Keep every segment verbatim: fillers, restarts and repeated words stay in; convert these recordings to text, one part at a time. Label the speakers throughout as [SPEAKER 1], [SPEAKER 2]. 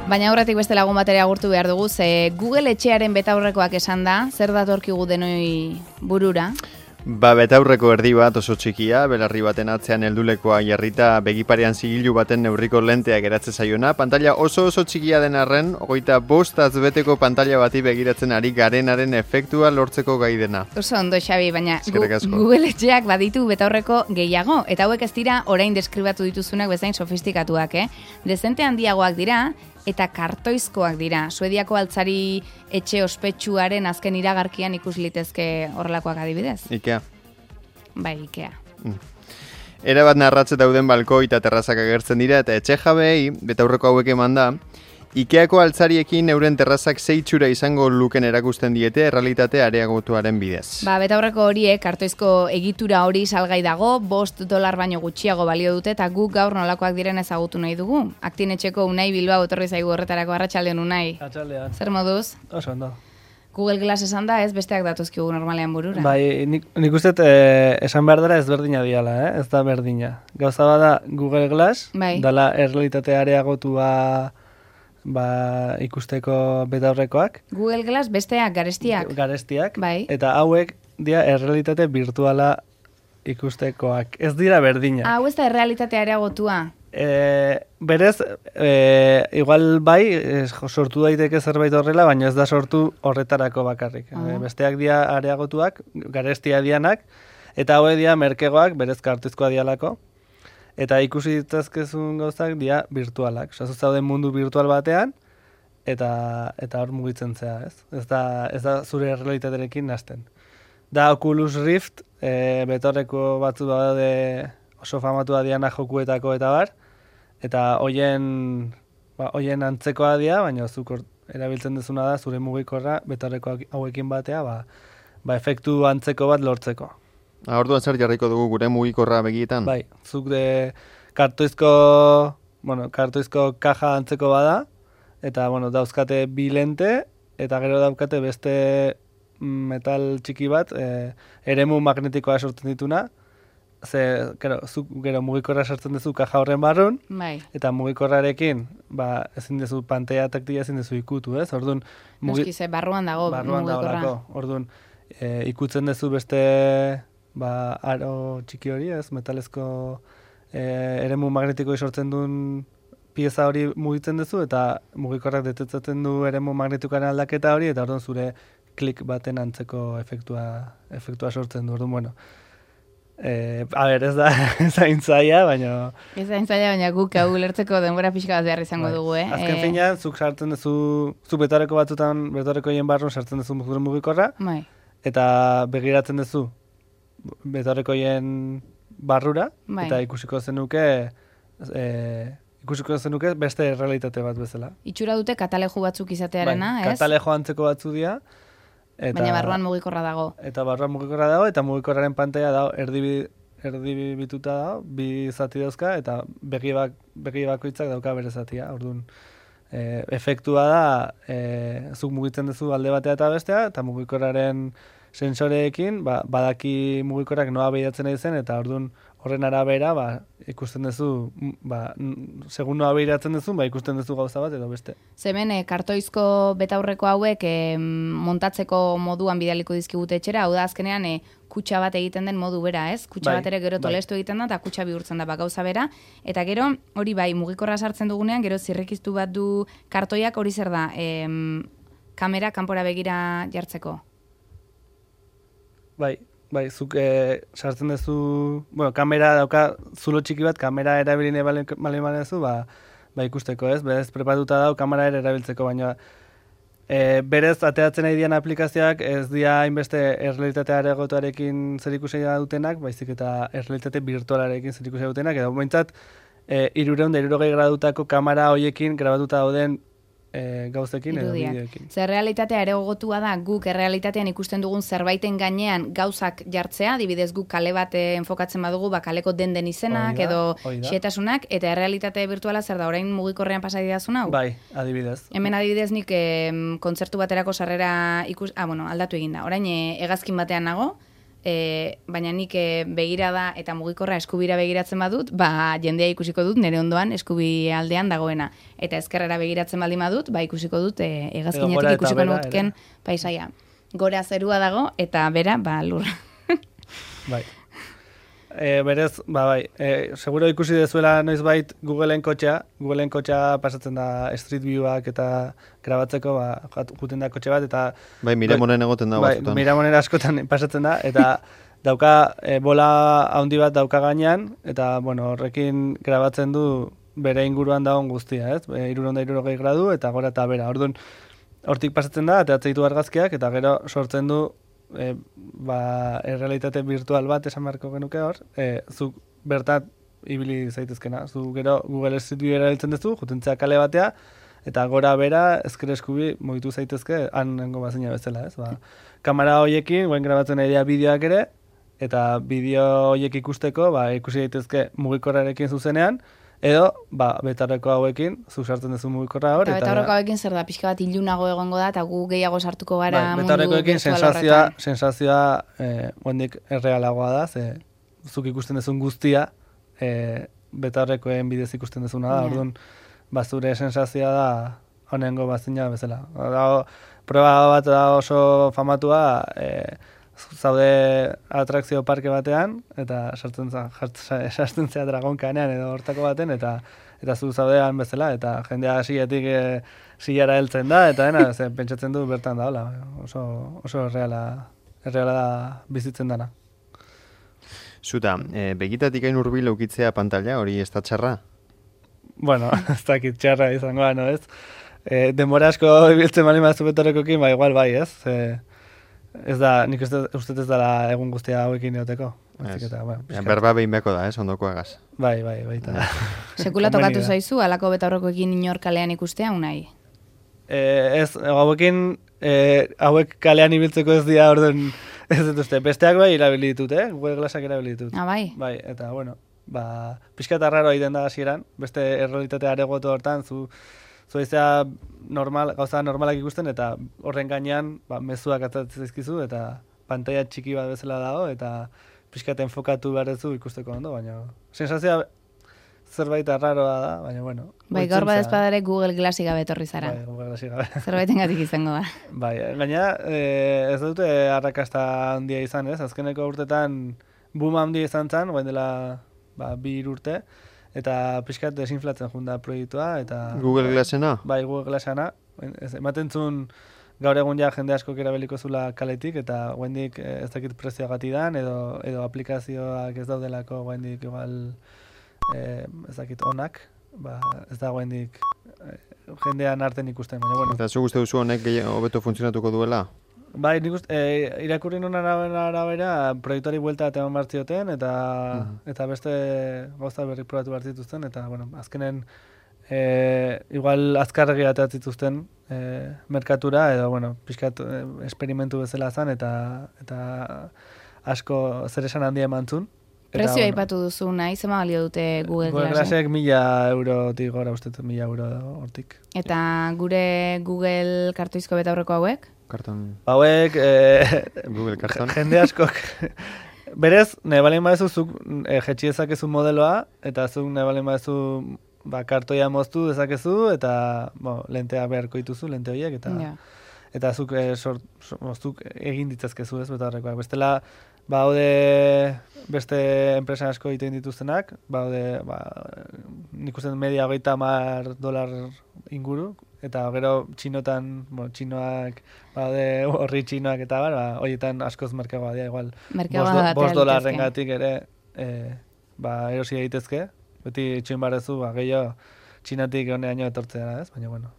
[SPEAKER 1] Baina aurretik beste lagun batera agurtu behar dugu, ze Google etxearen betaurrekoak esan da, zer datorkigu denoi burura?
[SPEAKER 2] Ba, betaurreko erdi bat oso txikia, belarri baten atzean heldulekoa jarrita begiparean zigilu baten neurriko lentea geratze zaiona. Pantalla oso oso txikia den arren, hogeita bost azbeteko pantalla bati begiratzen ari garenaren efektua lortzeko gai dena.
[SPEAKER 1] Oso ondo, Xabi, baina Google etxeak baditu betaurreko gehiago, eta hauek ez dira orain deskribatu dituzunak bezain sofistikatuak, eh? Dezente handiagoak dira, eta kartoizkoak dira. Suediako altzari etxe ospetsuaren azken iragarkian ikus litezke horrelakoak adibidez.
[SPEAKER 2] Ikea.
[SPEAKER 1] Bai, Ikea.
[SPEAKER 2] Mm. Era bat narratze dauden balkoi eta terrazak agertzen dira, eta etxe jabeei, betaurreko hauek eman da, Ikeako altzariekin euren terrazak zeitxura izango luken erakusten diete errealitate areagotuaren bidez.
[SPEAKER 1] Ba, betaurreko horiek, kartoizko egitura hori salgai dago, bost dolar baino gutxiago balio dute, eta guk gaur nolakoak diren ezagutu nahi dugu. Aktinetxeko Unai Bilbao etorri zaigu horretarako. Arratsaldeon, Unai.
[SPEAKER 3] Arratsaldeon.
[SPEAKER 1] Zer moduz?
[SPEAKER 3] Oso ondo.
[SPEAKER 1] Google Glass esan da, ez besteak datuzkigu normalean burura.
[SPEAKER 3] Bai, nik, nik uste eh, esan behar dara ez berdina diala, eh? Ez da berdina. Gauza bada Google Glass,
[SPEAKER 1] bai.
[SPEAKER 3] Dala errealitate areagotua ba, ikusteko betaurrekoak.
[SPEAKER 1] Google Glass besteak, garestiak.
[SPEAKER 3] Garestiak,
[SPEAKER 1] bai.
[SPEAKER 3] Eta hauek dira errealitate virtuala ikustekoak. Ez dira berdina.
[SPEAKER 1] Hau ez da errealitate areagotua.
[SPEAKER 3] E, berez, e, igual bai, e, sortu daiteke zerbait horrela, baina ez da sortu horretarako bakarrik. Uh -huh. e, besteak dira areagotuak, garestia dianak, eta haue dira merkegoak, berez kartuzkoa dialako. Eta ikusi ditazkezun gauzak dira virtualak. Osa, zauden mundu virtual batean, eta eta hor mugitzen zea, ez? Ez da, ez da zure realitaterekin nasten. Da Oculus Rift, e, betorreko batzu badaude oso famatua diana jokuetako eta bar, eta hoien ba, hoien antzekoa dira, baina zuk erabiltzen dezuna da zure mugikorra betorreko hauekin batea, ba, ba efektu antzeko bat lortzeko.
[SPEAKER 2] Orduan zer jarriko dugu gure mugikorra begietan?
[SPEAKER 3] Bai, zuk de kartoizko, bueno, kartoizko kaja antzeko bada, eta bueno, dauzkate bi lente, eta gero daukate beste metal txiki bat, e, eremu magnetikoa sortzen dituna, ze, gero, zuk gero mugikorra sartzen duzu kaja horren barrun,
[SPEAKER 1] bai.
[SPEAKER 3] Eta mugikorrarekin, ba, ezin duzu pantaila taktia ezin duzu ikutu, ez? Orduan,
[SPEAKER 1] mugi... Noski, ze barruan dago
[SPEAKER 3] barruan
[SPEAKER 1] mugikorra.
[SPEAKER 3] Dago, orduan, e, ikutzen duzu beste ba, aro txiki hori, ez, metalezko e, eremu magnetiko sortzen duen pieza hori mugitzen duzu, eta mugikorrak detetzatzen du eremu magnetikoaren aldaketa hori, eta orduan zure klik baten antzeko efektua, efektua sortzen du, orduan, bueno. E, a ber, ez da zaintzaia, baina...
[SPEAKER 1] Ez zaintzaia, baina guk hau lertzeko denbora pixka bat behar izango bai. dugu, eh?
[SPEAKER 3] Azken e... finean, zuk sartzen duzu, zu betoreko batzutan, betoreko hien barrun sartzen duzu mugikorra,
[SPEAKER 1] bai.
[SPEAKER 3] Eta begiratzen duzu betorrekoien barrura,
[SPEAKER 1] bai.
[SPEAKER 3] Eta ikusiko zenuke e, ikusiko zenuke beste realitate bat bezala.
[SPEAKER 1] Itxura dute katalejo batzuk izatearena,
[SPEAKER 3] bai,
[SPEAKER 1] ez?
[SPEAKER 3] Katalejo antzeko batzu dira.
[SPEAKER 1] Eta, baina barruan mugikorra dago.
[SPEAKER 3] Eta barruan mugikorra dago, eta mugikorraren pantaila dago erdi, erdi bituta dago, bi zati dauzka, eta begi, bak, begi bakoitzak dauka bere zatia. Orduan, e, efektua da, e, zuk mugitzen duzu alde batea eta bestea, eta mugikorraren sensoreekin, ba, badaki mugikorrak noa behiratzen nahi zen, eta orduan horren arabera, ba, ikusten duzu, ba, segun noa behiratzen duzu, ba, ikusten duzu gauza bat edo beste.
[SPEAKER 1] Zemen, e, kartoizko betaurreko hauek e, montatzeko moduan bidaliko dizkigute etxera, hau da azkenean e, kutxa bat egiten den modu bera, ez? Kutxa bai, bat ere gero tolestu bai. egiten da, eta kutxa bihurtzen da, ba, gauza bera, eta gero, hori bai, mugikorra sartzen dugunean, gero zirrikiztu bat du kartoiak, hori zer da, e, kamera kanpora begira jartzeko?
[SPEAKER 3] Bai, bai, zuk e, sartzen duzu, bueno, kamera dauka, zulo txiki bat, kamera erabiline bale manezu, ba, ba ikusteko, ez? Berez prepatuta dau, kamera ere erabiltzeko, baina e, berez ateratzen nahi dian aplikazioak ez dira hainbeste errealitate areagotuarekin zer ikusia dutenak, baizik eta errealitate virtualarekin zer ikusia dutenak, edo momentzat, e, irureun da irurogei gradutako kamera hoiekin grabatuta dauden E, gauzekin edo bideoekin.
[SPEAKER 1] Zer realitatea areagotua da, guk errealitatean ikusten dugun zerbaiten gainean gauzak jartzea, adibidez guk kale bat enfokatzen badugu, ba, kaleko den den izenak
[SPEAKER 3] oida,
[SPEAKER 1] edo
[SPEAKER 3] oida.
[SPEAKER 1] Xetasunak, eta errealitate virtuala zer da, orain mugikorrean pasadidazun hau?
[SPEAKER 3] Bai, adibidez.
[SPEAKER 1] Hemen adibidez nik e, kontzertu baterako sarrera ikus... Ah, bueno, aldatu egin da. Orain e, hegazkin batean nago, e, baina nik e, begirada eta mugikorra eskubira begiratzen badut, ba jendea ikusiko dut nire ondoan eskubi aldean dagoena. Eta ezkerrera begiratzen baldin badut, ba ikusiko dut e, hegazkinetik ikusiko nutken paisaia. Gora zerua dago eta bera, ba lurra.
[SPEAKER 3] Bai. E, berez, ba bai, e, seguro ikusi dezuela noizbait Googleen kotxea, Googleen kotxea pasatzen da Street View-ak eta grabatzeko, ba, juten da kotxe bat, eta...
[SPEAKER 2] Bai, Miramonen egoten da.
[SPEAKER 3] Bai, Miramonen askotan pasatzen da, eta dauka, e, bola handi bat dauka gainean, eta, bueno, horrekin grabatzen du bere inguruan dagoen guztia, ez? E, iruron da irurogei gradu, eta gora eta bera. Orduan, hortik pasatzen da, eta atzeitu argazkiak, eta gero sortzen du E, ba, errealitate virtual bat esan beharko genuke hor, e, zuk bertat ibili zaitezkena. Zu gero Google Street View erabiltzen duzu, jutentzea kale batea, eta gora bera ezker eskubi mugitu zaitezke han nengo bazina bezala, ez? Ba, kamera hoiekin, guen grabatzen nahi bideoak ere, eta bideo hoiek ikusteko, ba, ikusi daitezke mugikorrarekin zuzenean, edo, ba, betarreko hauekin, zu sartzen duzu mugikorra hor.
[SPEAKER 1] Eta betarreko hauekin zer da, pixka bat ilunago egongo da, eta gu gehiago sartuko gara
[SPEAKER 3] bai,
[SPEAKER 1] mundu
[SPEAKER 3] betarrekoekin
[SPEAKER 1] virtual
[SPEAKER 3] sensazioa,
[SPEAKER 1] horretan.
[SPEAKER 3] sensazioa eh, guendik errealagoa da, ze zuk ikusten duzun guztia, eh, betarrekoen bidez ikusten duzuna da,
[SPEAKER 1] Yeah.
[SPEAKER 3] orduan, ba, zure sensazioa da honengo bazina bezala. Da, proba bat da oso famatua, eh, zaude atrakzio parke batean, eta sartzen za, sartzen zea dragonkanean edo hortako baten, eta eta zu zaudean bezala, eta jendea hasietik e, zilara heltzen da, eta dena, ze, pentsatzen du bertan da, hola, oso, oso erreala, erreala da bizitzen dana.
[SPEAKER 2] Zuta, e, begitatik hain hurbil ukitzea pantalla, hori ez da txarra?
[SPEAKER 3] Bueno, ez dakit txarra izangoa, no, ez? E, denbora asko ibiltzen bali mazu betorrekokin, ba, igual bai, ez? E, Ez da, nik uste, uste ez dela egun guztia hauekin eoteko. Eta, bueno,
[SPEAKER 2] ja, berba behin beko da, ez, ondoko agaz.
[SPEAKER 3] Bai, bai, baita.
[SPEAKER 1] Sekula tokatu zaizu, alako betaurrekoekin inor kalean ikustea, unai?
[SPEAKER 3] E, ez, hauekin, e, hauek kalean ibiltzeko ez dira, orduan, ez dut uste. Besteak bai irabili ditut, eh? Google Glassak irabili ditut.
[SPEAKER 1] Ah, bai?
[SPEAKER 3] Bai, eta, bueno, ba, pixka eta raro egiten da hasieran, beste errealitate aregotu hortan, zu, zu izea normal, gauza normalak ikusten, eta horren gainean, ba, mezuak atzatzen zaizkizu, eta pantalla txiki bat bezala dago, eta pixkat enfokatu beharrezu ikusteko ondo, baina sensazioa zerbait arraroa da, baina bueno.
[SPEAKER 1] Bai, gaur bat ezpadare Google Glassik gabe etorri zara.
[SPEAKER 3] Bai, Google Glassik gabe.
[SPEAKER 1] Zerbaitengatik izango da.
[SPEAKER 3] Bai, gaina eh, ez dute arrakasta handia izan, ez? Azkeneko urtetan boom handia izan zen, guen dela ba, bi hiru urte, eta pixkat desinflatzen junda proiektua, eta...
[SPEAKER 2] Google Glassena?
[SPEAKER 3] Bai, Google Glassena. Ematen zuen gaur egun ja jende asko erabeliko zula kaletik, eta guendik ez dakit prezioagati dan, edo, edo aplikazioak ez daudelako guendik igual eh, ez dakit onak, ba, ez da guendik eh, jendean arten ikusten, baina bueno.
[SPEAKER 2] Eta zu guzti duzu honek hobeto funtzionatuko duela?
[SPEAKER 3] Bai, nik uste, e, irakurri nuen arabera, arabera proiektuari buelta eta eman bartzioten, eta, uh-huh. eta beste gauza berrik probatu bartzituzten, eta, bueno, azkenen e, igual azkarregi ateatzituzten e, merkatura, edo, bueno, pixkat e, esperimentu bezala zen, eta, eta asko zer esan handia emantzun.
[SPEAKER 1] Prezio bueno, aipatu duzu nahi, zema balio dute Google Glassek?
[SPEAKER 3] Google Glassek mila eurotik gora uste, mila euro hortik.
[SPEAKER 1] Eta gure Google kartoizko betaurreko hauek?
[SPEAKER 2] Karton.
[SPEAKER 3] Hauek, e,
[SPEAKER 2] Google karton.
[SPEAKER 3] Jende askok. Berez, nahi balen badezu zuk e, jetxi dezakezu modeloa, eta zuk nahi balen badezu ba, kartoia moztu dezakezu, eta bo, lentea beharko dituzu, lente horiek, eta,
[SPEAKER 1] ja.
[SPEAKER 3] eta zuk, e, sort, zuk egin ditzazkezu ez, betaurrekoak. Bestela, baude beste enpresa asko egiten dituztenak, baude, ba, nik uste media hogeita hamar dolar inguru, eta gero txinotan, bueno, txinoak, baude horri txinoak eta bar, ba, horietan askoz merkeagoa dira, igual, bost dolarren gatik ere, e, ba, erosi egitezke, beti txoin barezu, ba, gehiago txinatik honeaino etortzea, ez? Baina, bueno.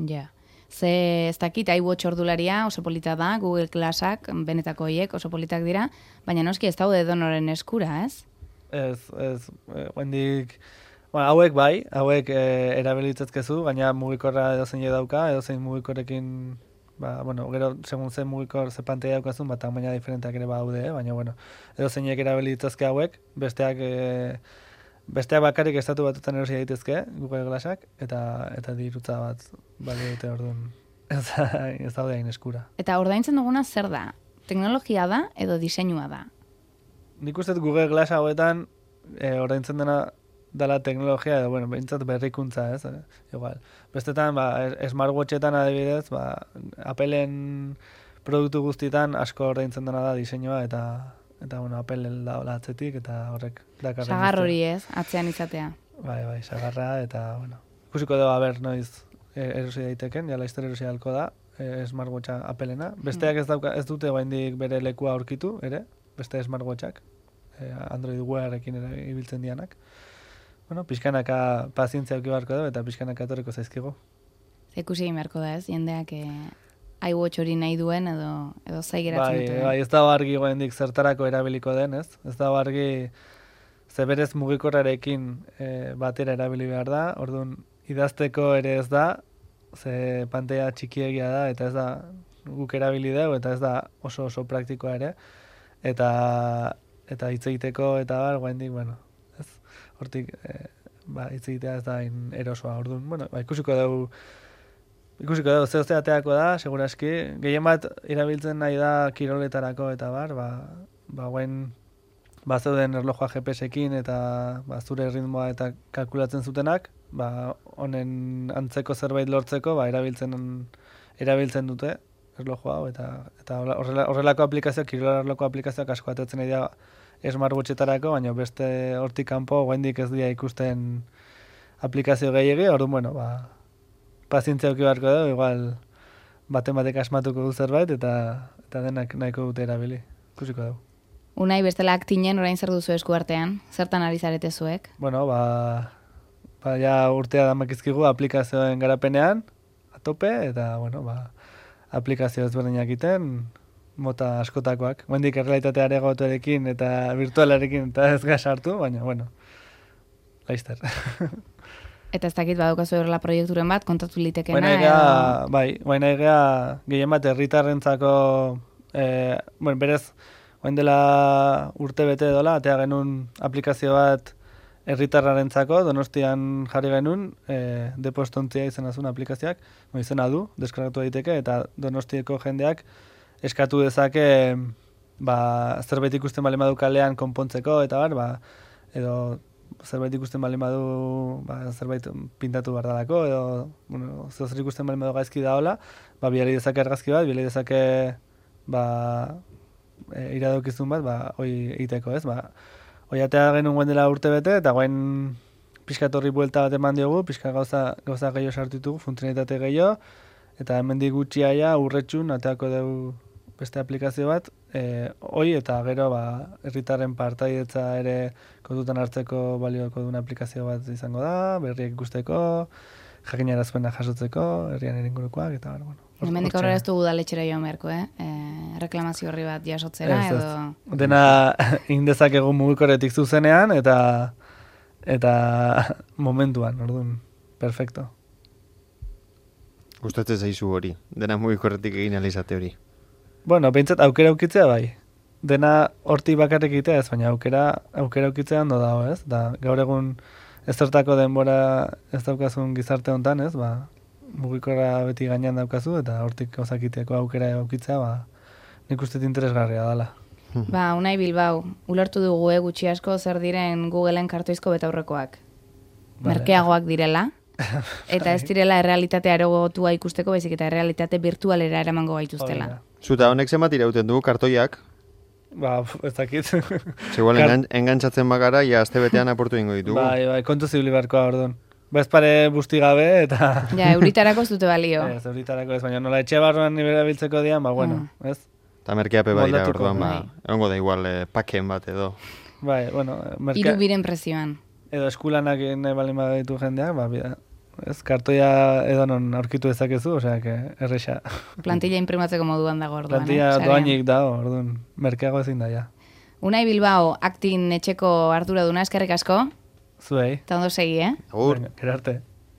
[SPEAKER 1] Ja. Ze ez dakit, iWatch ordularia oso polita da, Google Glassak, benetako hiek oso politak dira, baina noski ez daude donoren eskura, ez?
[SPEAKER 3] Ez, ez, guendik, bueno, hauek bai, hauek e, erabilitzezkezu, gaina mugikorra edozein dauka, edozein mugikorrekin, ba, bueno, gero, segun zen mugikor ze pantaila daukazun, bat tamaina diferenteak ere baude, eh? Baina, bueno, edozeinek erabilitzezke hauek, besteak, e, besteak bakarrik estatu batutan erosi daitezke, Google Glassak, eta, eta dirutza bat, bali dute orduan, ez, ez daude hain eskura.
[SPEAKER 1] Eta ordaintzen duguna zer da? Teknologia da edo diseinua da?
[SPEAKER 3] Nik uste Google Glass hauetan e, oraintzen dena dela teknologia edo, bueno, behintzat berrikuntza, ez? E, igual. Bestetan, ba, smartwatchetan adibidez, ba, Appleen produktu guztietan asko ordaintzen dena da diseinua eta eta bueno, Apple da hola atzetik eta horrek dakarren.
[SPEAKER 1] Sagar hori ez, atzean izatea.
[SPEAKER 3] Bai, bai, sagarra eta bueno. Ikusiko dugu aber noiz erosi daiteken, ja laizter erosi halko da, e, smartwatcha Appleena. Besteak ez dauka ez dute oraindik bere lekua aurkitu ere, beste smartwatchak. E, Android Wearekin ere ibiltzen dianak. Bueno, pixkanaka pazientzia eduki beharko da eta pixkanaka etorriko zaizkigu.
[SPEAKER 1] Ikusi egin beharko da, ez? Jendeak e, iWatch hori nahi duen edo edo zai geratzen
[SPEAKER 3] bai,
[SPEAKER 1] duten.
[SPEAKER 3] Bai, ez da argi goendik zertarako erabiliko den, ez? Ez da argi zeberez mugikorrarekin e, batera erabili behar da. Orduan idazteko ere ez da, ze pantalla txikiegia da eta ez da guk erabili dugu eta ez da oso oso praktikoa ere. Eta eta hitz egiteko eta bar goendik, bueno, ez? Hortik e, ba hitz egitea ez da in erosoa. Orduan, bueno, ba, ikusiko dugu Ikusiko dugu, zeo zeateako da, seguraski. Gehien bat irabiltzen nahi da kiroletarako eta bar, ba, ba guen ba zeuden erlojua G P S-ekin eta ba, zure ritmoa eta kalkulatzen zutenak, ba honen antzeko zerbait lortzeko, ba erabiltzen erabiltzen dute erlojua hau eta eta horrela, horrelako aplikazioak, kirolarloko aplikazioak asko atetzen nahi da smartwatchetarako, baina beste hortik kanpo oraindik ez dira ikusten aplikazio gehiegi, orduan bueno, ba pazientzia eduki beharko da, igual baten batek asmatuko du zerbait eta eta denak nahiko dute erabili. Ikusiko dugu.
[SPEAKER 1] Unai bestela aktinen orain zer duzu esku artean? Zertan ari zarete zuek?
[SPEAKER 3] Bueno, ba, ba ja urtea damakizkigu aplikazioen garapenean a tope eta bueno, ba aplikazio ezberdinak egiten mota askotakoak. Oraindik errealitate areagotuarekin eta virtualarekin eta ez gas hartu, baina bueno. Laster.
[SPEAKER 1] Eta ez dakit badaukazu horrela proiekturen bat, kontatu litekena.
[SPEAKER 3] Baina egea, edo... bai, baina egea gehien bat herritarrentzako, eh, bueno, berez, oen dela urte bete dola, atea genuen aplikazio bat herritarrarentzako, Donostian jarri genuen, eh, depostontzia izena zuen aplikazioak, no, izena du, deskargatu daiteke, eta Donostiako jendeak eskatu dezake, ba, zerbait ikusten bale madu kalean konpontzeko, eta bar, ba, edo zerbait ikusten bali badu, ba, zerbait pintatu behar dalako, edo, bueno, zer ikusten bali badu gaizki da hola, ba, biali dezake argazki bat, biali dezake, ba, e, iradokizun bat, ba, hoi egiteko, ez, ba, hoi atea genuen guen dela urte bete, eta guen pixkat horri buelta bat eman diogu, pixkat gauza, gauza gehiago sartu ditugu, funtzionalitate gehiago, eta hemendik gutxiaia urretxun, ateako dugu beste aplikazio bat, eh, hoi eta gero ba, herritarren partaidetza ere kontutan hartzeko balioko duen aplikazio bat izango da, berriek ikusteko, jakinarazpena jasotzeko, herrian eringurukoak, eta bueno.
[SPEAKER 1] Hemendik aurrera ez dugu udaletxera joan beharko, eh? E, reklamazio horri bat jasotzera,
[SPEAKER 3] ez,
[SPEAKER 1] edo...
[SPEAKER 3] Ez. Dena indezak egun mugikorretik zuzenean, eta eta momentuan, orduan, perfecto.
[SPEAKER 2] Gustatzen zaizu hori, dena mugikorretik egin alizate hori.
[SPEAKER 3] Bueno, behintzat aukera aukitzea bai. Dena hortik bakarrik egitea ez, baina aukera aukera aukitzea ondo dago, ez? Da, gaur egun ez zertako denbora ez daukazun gizarte hontan, ez? Ba, mugikorra beti gainean daukazu eta hortik gauzakiteko aukera aukitzea, ba, nik uste interesgarria dela.
[SPEAKER 1] Ba, Unai Bilbao, ulertu dugu eh, gutxi asko zer diren Googleen kartoizko betaurrekoak. Vale. Merkeagoak direla. Eta ez direla errealitate areagotua ikusteko, baizik eta errealitate virtualera eramango gaituztela.
[SPEAKER 2] Zuta honek zenbat irauten du kartoiak?
[SPEAKER 3] Ba, ez dakit.
[SPEAKER 2] Zegoen Kar... engantzatzen bagara, ja azte betean aportu ingo ditugu.
[SPEAKER 3] Bai, bai, kontu zibili barkoa orduan. Bez pare busti gabe eta...
[SPEAKER 1] Ja, euritarako ez dute balio.
[SPEAKER 3] Ez, euritarako ez, baina nola etxe barruan nibera biltzeko dian, ba, bueno, mm. ez?
[SPEAKER 2] Eta merkeape badira orduan, ba, egongo da igual eh, paken bat edo.
[SPEAKER 3] Bai, bueno, merkea...
[SPEAKER 1] Iru biren prezioan.
[SPEAKER 3] Edo eskulanak nahi bali baditu jendeak, ba, bida. Ez, kartoia edo non aurkitu dezakezu, osea, que erresa.
[SPEAKER 1] Plantilla imprimatzeko moduan dago orduan.
[SPEAKER 3] Plantilla eh? doainik dago, orduan, merkeago ezin da, ja. Unai
[SPEAKER 1] Bilbao, aktin etxeko arduraduna, eskerrik asko.
[SPEAKER 3] Zuei.
[SPEAKER 1] Eta ondo segi, eh?
[SPEAKER 2] Agur.
[SPEAKER 3] Gero arte.